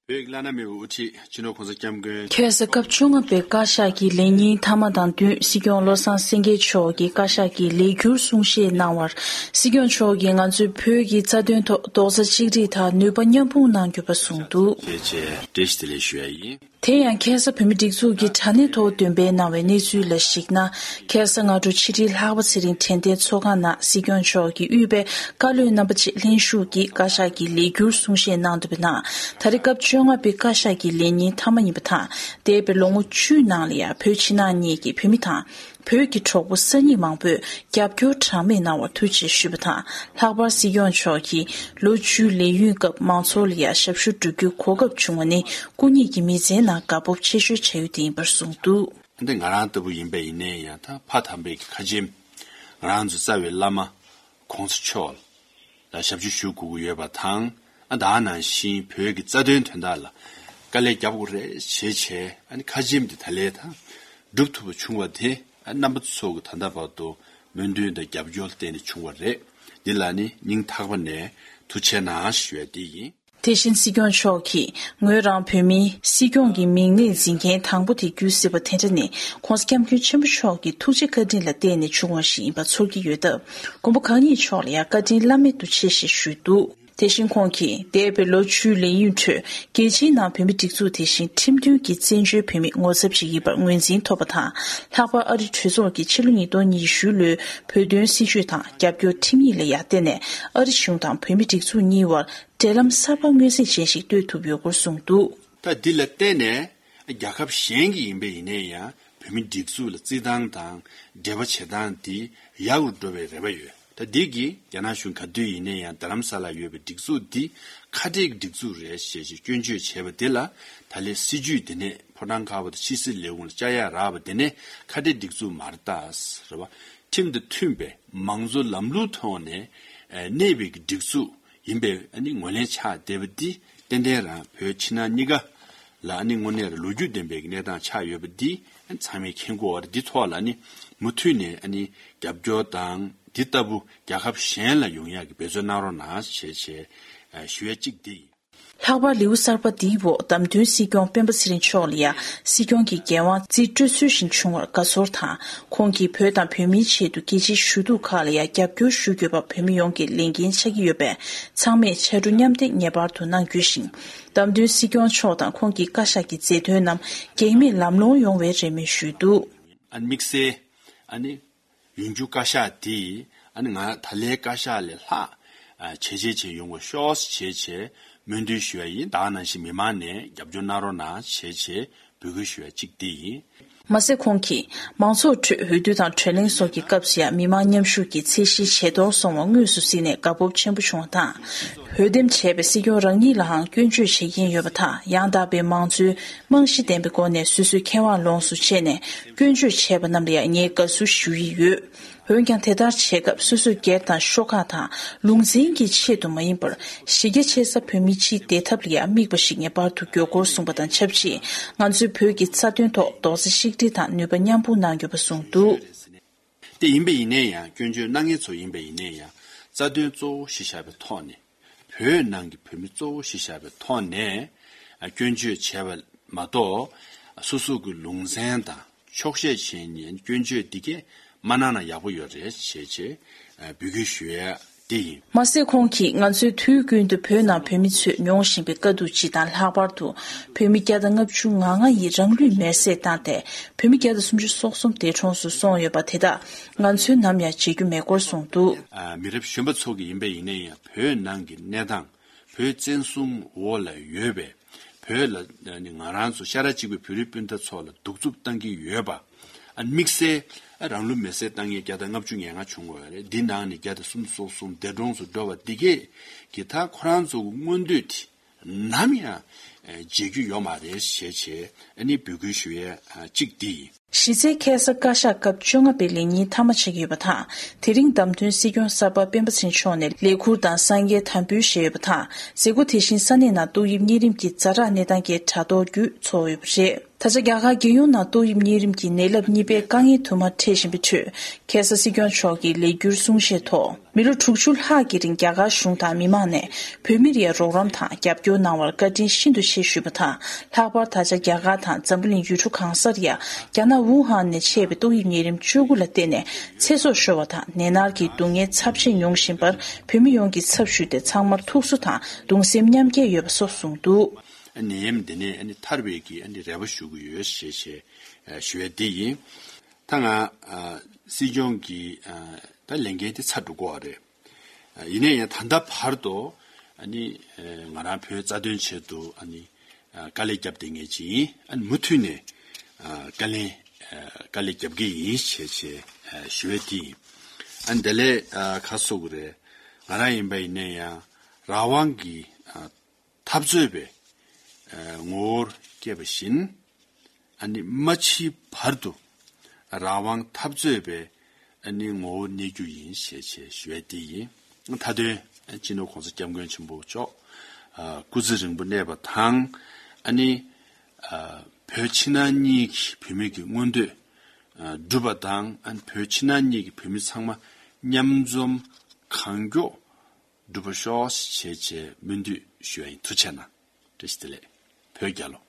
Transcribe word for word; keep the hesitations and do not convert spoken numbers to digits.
བོད་ཀྱི་བླ་ན་མེད་པའི་དབུ་ཁྲིད་སྤྱི་ནོར་༸གོང་ས་༸སྐྱབས་མགོན། ཁ་སང་སྐབས་བཅོ་ལྔ་པའི་བཀའ་ཤག་གི་ལས་ཉིན་མཐའ་མ་དང་བསྟུན་སྲིད་སྐྱོང་བློ་བཟང་སེང་གེ་མཆོག་གིས་བཀའ་ཤག་གི་ལས་འཁྱུར་གསུང་བཤད་གནང་བར། སྲིད་སྐྱོང་མཆོག་གིས་ང་ཚོས་བོད་ཀྱི་རྩ་དོན་ཐོག་རྡོག་རྩ་གཅིག་སྒྲིལ་དང་ནུས་པ་མཉམ་སྤུངས་གནང་དགོས་པ་གསུངས་འདུག། ཞེས་བྱས་བཀྲ་ཤིས་བདེ་ལེགས་ཞུ་ཡ་ཡིན། དེ་ཡང་ཁ་སང་བོད་མིའི་སྒྲིག་འཛུགས་ཀྱི་དྲ་གནས་ཐོག་འདོན་སྤེལ་གནང་བའི་གནས་ཚུལ་ལ་གཞིགས་ན། ཁ་སང་སྔ་དྲོ་ཕྱི་དྲིལ་ལྷག་པ་ཚེ་རིང་དྲན་རྟེན་ཚོགས་ཁང་ནང་སྲིད་སྐྱོང་མཆོག་གིས་དབུས་པའི་བཀའ་བློན་རྣམ་པ་བཅས་ལྷན་ཞུགས་ཀྱིས་བཀའ་ཤག་གི་ལས་འཁྱུར་གསུང་བཤད་གནང་འདུག་པའི་ནང་། ད་རེས་སྐབས་བཅོ་ལྔ་པའི་བཀའ་ཤག་གི་ལས་ཉིན་མཐའ་མ་ཡིན་པ་དང་། འདས་པའི་ལོ་ངོ་བཅུའི་ནང་ལ་ཡང་བོད་ཕྱི་ནང་གཉིས་ཀྱི་བོད་མི་དང་། བོད་ཀྱི་གྲོགས་པོ་གསར་རྙིང་མང་པོས་རྒྱབ་སྐྱོར་གྲངས་མེད་གནང་བར་ཐུགས་རྗེ་ཆེ་ཞུས་པ་དང་། ལྷག་པར་སྲིད་སྐྱོང་མཆོག་གིས་ལོ་བཅུའི་ལས་ཡུན་སྐབས་མང་ཚོགས་ལ་ཡང་ཞབས་ཞུ་སྒྲུབ་རྒྱུའི་གོ་སྐབས་བྱུང་བ་ནི་སྐུ་ཉིད་ཀྱི་མི་ཚེའི་ནང་དགའ་སྤོབས་ཆེ་ཤོས་བྱ་ཡུལ་དེ་ཡིན་པར་གསུངས་འདུག། འདི་ང་རང་ལྟ་བུ་ཡིན་པ་ཡིན་ནའི་ཡང་ད་ཕ་དམ་པའི་ཁ་ཆེམས་ང་རང་ཚོ་རྩ་བའི་བླ་མ་གོང་ས་མཆོག་ལ་ཞབས་ཕྱི་ཞུ་དགོས་ཀྱི་ཡོད་པ་དང་། ཨ་ད་ནང་བཞིན་བོད་ཀྱི་རྩ་དོན་དོན་དག་ལ་དཀའ་ལས་རྒྱབ་དགོས་རེད་ཞེས་བྱས། ཨ་ནི་ཁ་ཆེམས་འདི་ད་ལས་དང་སྒྲུབ་ཐུབ་པ་བྱུང་བ་དེ། ཨ་རྣམ་པ་ཚོ་གི་ད་ལྟ་བར་དུ་སྨོན་འདུན་དང་རྒྱབ་སྐྱོར་བརྟེན་ནས་བྱུང་བ་རེད། འདི་ལ་ནི་སྙིང་ཐག་པ་ནས་ཐུགས་རྗེ་གནང་ཞུ་ཡ་འདི་ཡིན། དེ་བཞིན་སྲིད་སྐྱོང་མཆོག་གིས་ངོས་རང་བོད་མིའི་སྲིད་སྐྱོང་གི་མིང་གནས་འཛིན་མཁན་དང་པོ་དེ་འགྱུར་སྲིད་པ་དེ་འདྲ་ནི་༸གོང་ས་༸སྐྱབས་མགོན་ཆེན་པོ་མཆོག་གི་ཐུགས་རྗེ་བཀའ་དྲིན་ལ་བརྟེན་ནས་བྱུང་བ་ཞིག་ཡིན་པ་ཚོར་གྱི་ཡོད་སྟབས། མགོན་པོ་གང་ཉིད་མཆོག་ལ་ཡང་བཀའ་དྲིན་བླ་མེད་དུ་ཆེ་ཞེས་ཞུས་འདུག། དེ་བཞིན་ཁོང་གིས་འདས་པའི་ལོ་བཅུའི་ལས་ཡུན་ཁྲོད་རྒྱལ་སྤྱིའི་ནང་བོད་མིའི་སྒྲིག་འཛུགས་དེ་བཞིན་ཁྲིམས་མཐུན་གྱི་བཙན་བྱོལ་བོད་མིའི་ངོ་ཚབ་ཅིག་ཡིན་པར་ངོས་འཛིན་ཐོབ་པ་དང་། ལྷག་པར་ཨ་རི་གྲོས་ཚོགས་ཀྱིས་ཕྱི་ལོ་ཉིས་སྟོང་ཉི་ཤུ་ལོའི་བོད་དོན་སྲིད་བྱུས་དང་རྒྱབ་སྐྱོར་ཁྲིམས་ཡིག་ལ་ཡང་བརྟེན་ནས་ཨ་རི་གཞུང་དང་བོད་མིའི་སྒྲིག་འཛུགས་གཉིས་བར་འབྲེལ་ལམ་གསར་པ་མངོན་གསལ་ཅན་ཞིག་གཏོད་ཐུབ་ཡོད་སྐོར་གསུངས་འདུག། ད་འདི་ལ་བརྟེན་ནས་རྒྱལ་ཁབ་གཞན་གྱི་ཡིན་པ་ཡིན་ནའི་ཡང་བོད་མིའི་སྒྲིག་འཛུགས་ལ་བརྩི་སྟངས་དང་འབྲེལ་བ་བྱེད་སྟངས་འདི་ཡག་རུ་འགྲོ་བའི་རེ་བ་ཡོད། ད་འདི་གིས་རྒྱ་ནག་གཞུང་ག་དུས་ཡིན་ནའི་ཡང་རྡ་རམ་ས་ལ་ཡོད་པའི་སྒྲིག་འཛུགས་འདི་ཁ་བྲལ་གྱི་སྒྲིག་འཛུགས་རེད་ཞེས་ཞེས་སྐྱོན་བརྗོད་བྱས་པ་འདི་ལ། ད་ལས་སྲིད་བྱུས་འདི་ནས་ཕོ་བྲང་དཀར་པོ་དང་ཕྱི་སྲིད་ལས་ཁུངས་ལ་བཅར་ཡ་རག་པ་འདི་ནས་ཁ་བྲལ་སྒྲིག་འཛུགས་མ་རེད་ད། རེད་བ། ཁྲིམས་དང་མཐུན་པའི་མང་གཙོ་ལམ་ལུགས་ཐོག་ནས་གནས་པའི་སྒྲིག་འཛུགས་ཡིན་པའི་ཨ་ནི་ངོས་ལེན་ཆགས་བསྡད་པ་འདི་ཏན་ཏན་རང་བོད་ཕྱི་ནང་གཉིས་ཀ་ལ་ཨ་ནི་དངོས་གནས་རང་ལོ་རྒྱུས་ལྡན་པའི་གནས་སྟངས་ཆགས་ཡོད་པ་འདི་ཚང་མས་མཁྱེན་གྱི་ཡོད་རེད། འདི་ཐོག་ལ་ཨ་ནི་མུ་མཐུད་ནས་ཨ་ནི་རྒྱབ་སྐྱོར་དང་འདི་ལྟ་བུ་རྒྱལ་ཁབ་གཞན་ལ་ཡོང་ཡག་གི་འབད་བརྩོན་གནང་རོགས་གནང་ཞེས་བྱས་ཞུ་ཡ་གཅིག་འདི་ཡིན། ལྷག་པར་ལེའུ་གསར་པ་འདིའི་འོག་བདམས་ཐོན་སྲིད་སྐྱོང་སྤེན་པ་ཚེ་རིང་མཆོག་ལ་ཡང་སྲིད་སྐྱོང་གི་འགན་དབང་རྩིས་སྤྲོད་ཚུལ་བཞིན་བྱུང་བར་དགའ་ཚོར་དང་། ཁོང་གིས་བོད་དང་བོད་མིའི་ཆེད་དུ་རྒྱལ་སྤྱིའི་ཞུ་གཏུག་ཁག་ལ་ཡང་རྒྱབ་སྐྱོར་ཞུ་དགོས་པ་བོད་མི་ཡོངས་ཀྱི་ལས་འགན་ཆགས་ཀྱི་ཡོད་པས། ཚང་མས་ཕྱར་གྲུ་མཉམ་འདེགས་ངེས་པར་དུ་གནང་དགོས་ཤིང་། བདམས་ཐོན་སྲིད་སྐྱོང་མཆོག་དང་ཁོང་གི་བཀའ་ཤག་གི་མཛད་དོན་རྣམས་གེགས་མེད་ལམ་ལྷོང་ཡོང་བའི་རེ་སྨོན་ཞུས་འདུག། ཨ་ནི་དམིགས་བསལ་ཨ་ནི། ཡོང་རྒྱུ་བཀའ་ཤག་དེ་ཨ་ནི་ང་ད་ལའི་བཀའ་ཤག་ལས་ལྷག་ཨ་བྱས་རྗེས་ཆེ་ཡོང་བ་ཤོག་ཅེས་བྱས་སྨོན་འདུན་ཞུ་བ་ཡིན། ད་ག་ནང་བཞིན་མི་མང་ནས་རྒྱབ་སྐྱོར་གནང་རོགས་གནང་ཞེས་བྱས་འབོད་སྐུལ་ཞུ་བ་གཅིག་དེ་ཡིན། མ་ཟད་ཁོང་གིས་མང་ཚོགས་ཁྲོད་འོས་བསྡུ་དང་བགྲོ་གླེང་སོགས་ཀྱི་སྐབས་སུ་ཡང་མི་མང་མཉམ་ཞུགས་ཀྱི་ཚད་གཞི་ཇེ་མཐོར་སོང་བ་དངོས་སུ་གཟིགས་ནས་དགའ་སྤོབས་ཆེན་པོ་བྱུང་བ་དང་། འོས་འདེམས་བྱས་པའི་སྲིད་སྐྱོང་རང་ཉིད་ལའང་སྐྱོན་བརྗོད་བྱེད་མཁན་ཡོད་པ་དང་། ཡང་དག་པའི་མང་གཙོའི་རྨང་གཞི་ལྡན་པའི་སྒོ་ནས་སོ་སོའི་ཁེ་དབང་ལོངས་སུ་སྤྱད་ནས་སྐྱོན་བརྗོད་བྱས་པ་རྣམས་ལ་ཡང་ངས་དགའ་བསུ་ཞུ་ཡི་ཡོད། འོན་ཀྱང་དེ་ལྟར་བྱེད་སྐབས་སོ་སོའི་སྒེར་དང་ཤོག་ཁག་དང་ལུང་ཚན་གྱི་ཆེད་དུ་མ་ཡིན་པར་གཞི་རྒྱ་ཆེ་ས་བོད་མི་སྤྱིའི་བདེ་ཐབས་ལ་ཡང་དམིགས་པ་ཞིག་ངེས་པར་དུ་དགོས་སྐོར་གསུངས་པ་དང་ཆབས་ཅིག་ང་ཚོས་བོད་ཀྱི་རྩ་དོན་ཐོག་རྡོག་རྩ་གཅིག་སྒྲིལ་དང་ནུས་པ་མཉམ་སྤུངས་གནང་དགོས་པ་གསུངས་འདུག། དེ་ཡིན་པ་ཡིན་ནའི་ཡང་སྐྱོན་བརྗོད་གནང་མཁན་ཚོ་ཡིན་པ་ཡིན་ནའི་ཡང་རྩ་དོན་གཙོ་བོ་གཞི་བཞག་པའི་ཐོག་ནས། བོད་ནང་གི་བོད་མི་གཙོ་བོ་གཞི་བཞག་པའི་ཐོག་ནས་སྐྱོན་བརྗོད་བྱས་པ་མ་གཏོགས། སོ་སོ་གི་ལུང་ཚན་དང་འཁྱོག་བཤད་བྱས་ནས་སྐྱོན་བརྗོད་འདི་གས་མ་གནང་ན་ཡག་པོ་ཡོད་རེད་ཞེས་བྱས་འབོད་སྐུལ་ཞུ་ཡ་དེ་ཡིན། མ་ཟད་ཁོང་གིས་ང་ཚོས་དུས་ཀུན་ཏུ་བོད་ནང་བོད་མི་ཚོས་མྱོང་བཞིན་པའི་དཀའ་སྡུག་སྤྱི་དང་། ལྷག་པར་དུ་བོད་མི་བརྒྱ་དང་ལྔ་བཅུ་ང་ལྔ་ཡིས་རང་ལུས་མེར་སྲེག་བཏང་སྟེ་བོད་མི་བརྒྱ་དང་སུམ་ཅུ་སོ་གསུམ་འདས་གྲོངས་སུ་སོང་ཡོད་པ་དེ་དག་ང་ཚོས་ནམ་ཡང་བརྗེད་རྒྱུ་མེད་སྐོར་གསུངས་འདུག། མི་རབས་གཞོན་པ་ཚོ་གི་ཡིན་པ་ཡིན་ན་ཡང་བོད་ནང་གི་གནས་སྟངས། བོད་བཙན་བཟུང་འོག་ལ་ཡོད་པའི་བོད་ལ་ནི་ང་རང་ཚོ་ཤ་ཁྲག་གཅིག་པའི་བོད་རིགས་སྤུན་ཟླ་ཚོ་ལ་གདུག་རྩུབ་བཏང་གི་ཡོད་པ། ཨ་དམིགས་བསལ་རང་ལུས་མེར་སྲེག་བཏང་མཁན་བརྒྱ་དང་ལྔ་བཅུ་ང་ལྔ་བྱུང་བ་རེད། འདི་ནང་ནས་བརྒྱ་དང་སུམ་ཅུ་སོ་གསུམ་འདས་གྲོངས་སུ་འགྲོ་བ་འདི་གས་ཀྱི་ད་ཁོ་རང་ཚོ་གི་མངོན་འདོད་དེ་ནམ་ཡང་བརྗེད་རྒྱུ་ཡོད་མ་རེད་ཞེས་བྱས་ཨ་ནི་འབོད་སྐུལ་ཞུ་ཡས་གཅིག་འདི་ཡིན། གཞི་རྩའི་ཁ་སང་བཀའ་ཤག་སྐབས་བཅོ་ལྔ་པའི་ལས་ཉིན་མཐའ་མ་ཆགས་ཀྱི་ཡོད་པ་དང་། དེ་རིང་བདམས་ཐོན་སྲིད་སྐྱོང་གསར་པ་སྤེན་པ་ཚེ་རིང་མཆོག་ནས་ལས་ཁུར་དང་གསང་རྒྱའི་དམ་འབུལ་བཞེས་ཡོད་པ་དང་། མཛད་སྒོ་དེ་བཞིན་ས་གནས་ནང་ཏོག་དབྱིབས་གཉན་རིམས་ཀྱི་ཛ་དྲག་གནས་སྟངས་ཀྱི་དྲ་ཐོག་བརྒྱུད་འཚོགས་ཡོད་པ་རེད། ད་ཆ་རྒྱ་གར་རྒྱལ་ཡོངས་ནང་ཏོག་དབྱིབས་གཉན་རིམས་ཀྱི་ནད་རླབས་གཉིས་པའི་དཀའ་ངལ་དུ་མ་འཕྲད་བཞིན་པའི་ཁྲོད། ཁ་སང་སྲིད་སྐྱོང་མཆོག་གིས་ལས་འཁྱུར་གསུང་བཤད་ཐོག་མི་ལོ་དྲུག་ཅུ་ལྷག་གི་རིང་རྒྱ་གར་གཞུང་དང་མི་མང་ནས་བོད་མིར་ཡང་རོགས་རམ་དང་རྒྱབ་སྐྱོར་གནང་བར་བཀའ་དྲིན་ཤིན་ཏུ་ཆེ་ཞུས་པ་དང་། ལྷག་པར་ད་ཆ་རྒྱ་གར་དང་འཛམ་བུ་གླིང་ཡུལ་གྲུ་གང་སར་ཡང་རྒྱ་ནག་ཝུ་ཧན་ནས་མཆེད་པའི་ཏོག་དབྱིབས་གཉན་རིམས་བཅུ་དགུ་ལ་བརྟེན་ནས་ཚེ་སྲོག་ཤོར་བ་དང་ནད་མནར་གྱི་སྡུག་བསྔལ་ཚབས་ཆེ་མྱོང་བཞིན་པར་བོད་མི་ཡོངས་ཀྱི་ཚབ་ཞུས་ཏེ་ཚང་མར་ཐུགས་གསོ་དང་གདུང་སེམས་མཉམ་སྐྱེད་ཡོད་པ་སོགས་གསུངས་འདུག། ནད་ཡམས་འདི་ནས་ཨ་ནི་ཐར་བའི་གི་ཨ་ནི་རེ་བ་ཞུ་གི་ཡོད་ཞེས་བྱས་ཨ་ཞུ་ཡ་འདི་ཡིན། ད་ང་ཨ་སྲིད་སྐྱོང་གི་ཨ་ད་ལས་འགན་དེ་ཚར་འགྲོ་གི་ཡོད་རེད། ཨ་ཡིན་ན་ཡང་ད་ལྟ་བར་དུ་ཨ་ནི་ཨ་ང་རང་བོད་རྩ་དོན་ཆེད་དུ་ཨ་ནི་ཨ་དཀའ་ལས་བརྒྱབ་བསྡད་མཁན་ཅིག་ཡིན། ཨ་ནི་མུ་མཐུད་ནས་ཨ་དཀའ་ལས་ཨ་དཀའ་ལས་བརྒྱབ་གི་ཡིན་ཞེས་བྱས་ཨ་ཞུ་ཡ་འདི་ཡིན། ཨ་ནི་དེ་ལས་ཨ་ག་རེ་ཟེར་དགོས་རེད། ང་རང་ཡིན་པ་ཡིན་ན་ཡང་རང་དབང་གི་ཨ་འཐབ་རྩོད་པའི་ཨ་ངོ་བོར་སྐྱེས་པ་བཞིན། ཨ་ནི་མ་འཆི་བར་དུ་རང་དབང་འཐབ་རྩོད་པའི་ཨ་ནི་ངོ་བོར་གནས་རྒྱུ་ཡིན་ཞེས་བྱས་ཞུ་ཡ་དེ་ཡིན། མཐའ་དོན་སྤྱི་ནོར་༸གོང་ས་༸སྐྱབས་མགོན་ཆེན་པོ་མཆོག་ཨ་སྐུ་ཚེ་རིང་པོ་གནས་པ་དང་། ཨ་ནི་ཨ་བོད་ཕྱི་ནང་གཉིས་ཀྱི་བོད་མི་གི་མངོན་འདོད་ཨ་འགྲུབ་པ་དང་། ཨ་ནི་བོད་ཕྱི་ནང་གཉིས་ཀྱི་བོད་མི་ཚང་མ་མཉམ་འཛོམས་གང་མགྱོགས་འགྲུབ་པ་ཤོག་ཞེས་བྱས་སྨོན་འདུན་ཞུ་ཡ་ཡིན། ཐུགས་རྗེ་གནང་། བཀྲ་ཤིས་བདེ་ལེགས། བོད་རྒྱལ་ལོ།